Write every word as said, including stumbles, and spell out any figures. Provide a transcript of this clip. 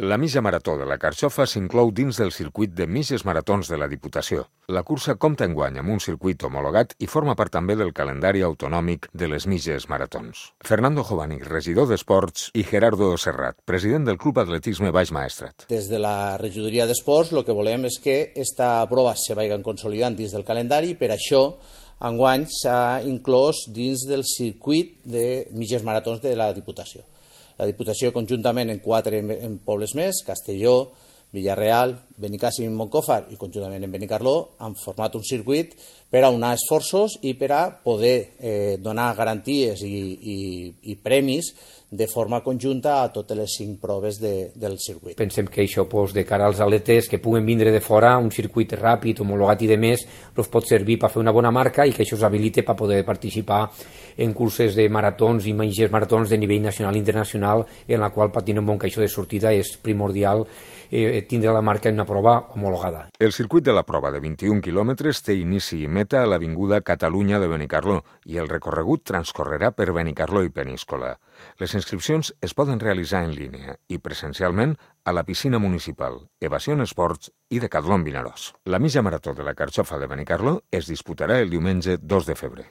La mitja marató de la Carxofa s'inclou dins del circuit de mitges maratons de la Diputació. La cursa compta enguany amb un circuit homologat i forma part també del calendari autonòmic de les mitges maratons. Fernando Jovani, regidor d'Esports, i Gerardo Serrat, president del Club Atletisme Baix Maestrat. Des de la regidoria d'Esports el que volem és que aquesta prova se vagi consolidant dins del calendari, per això enguany s'ha inclòs dins del circuit de mitges maratons de la Diputació. La Diputació conjuntament en quatre en pobles més, Castelló, Villarreal, Benicàssim i Montcòfar, i conjuntament en Benicarló, han format un circuit per a unar esforços i per a poder eh, donar garanties i, i, i premis de forma conjunta a totes les cinc proves de, del circuit. Pensem que això, pues, de cara als atletes que puguen vindre de fora, un circuit ràpid, homologat i de més, els pot servir per fer una bona marca i que això s'habilite per poder participar en curses de maratons i mitges maratons de nivell nacional i internacional, en la qual, per tenir un bon caixó de sortida, és primordial eh, tindre la marca en una prova homologada. El circuit de la prova de vint-i-un quilòmetres té inici i meta a l'Avinguda Catalunya de Benicarló i el recorregut transcorrerà per Benicarló i Peníscola. Les inscripcions es poden realitzar en línia i presencialment a la piscina municipal, Evasion Esports i Decatlon Vinaròs. La mitja marató de la Carxofa de Benicarló es disputarà el diumenge dos de febrer.